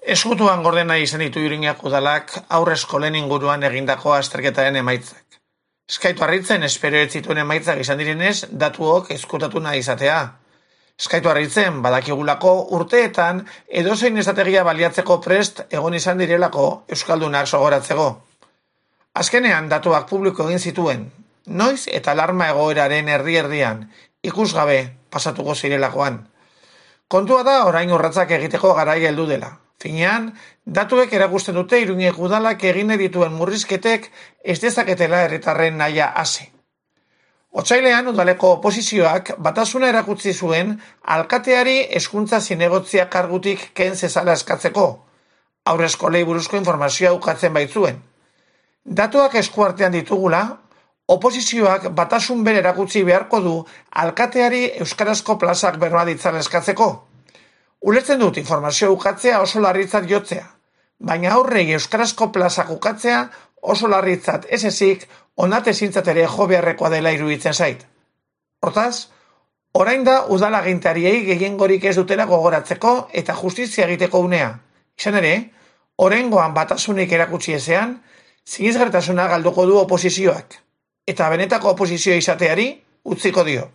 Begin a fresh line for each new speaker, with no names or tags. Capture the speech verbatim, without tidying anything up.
Eskutuan gordena izan ditu Iruñeko udalak haurreskolen inguruan egindako azterketaren emaitzak. Eskaitu harritzen espero ez zituen emaitzak izan direnez, datuok ezkutatu nahi izatea. Eskaitu harritzen badakigulako urteetan edozein estrategia baliatzeko prest egon izan direlako euskaldunak sogoratzeko. Azkenean datuak publiko egin zituen, noiz eta alarma egoeraren erdi-erdian, ikusgabe pasatuko zirelakoan. Kontua da orain urratsak egiteko garaia heldu dela. Finean, datuek erakusten dute Iruñeko udalak egin dituen murrizketek ez dezaketela herritarren nahia hasi. Otsailean udaleko oposizioak batasuna erakutsi zuen alkateari hezkuntza zinegotzia kargutik ken zezala eskatzeko, haurreskolei buruzko informazioa ukatzen baitzuen. Datuak eskuartean ditugula, oposizioak batasun bere erakutsi beharko du alkateari euskarazko plazak berma ditzala eskatzeko. Ulertzen dut informazio ukatzea oso larritzat jotzea, baina aurrei euskarazko plazak ukatzea oso larritzat ez ezik onate zintzat ere jo beharrekoa dela iruditzen zait. Hortaz, orain da udalagintariei gehiengorik ez dutela gogoratzeko eta justizia egiteko unea. Izan ere, oraingoan batasunik erakutsi ezean, sinesgarritasuna galduko du oposizioak, eta benetako oposizioa izateari utziko dio.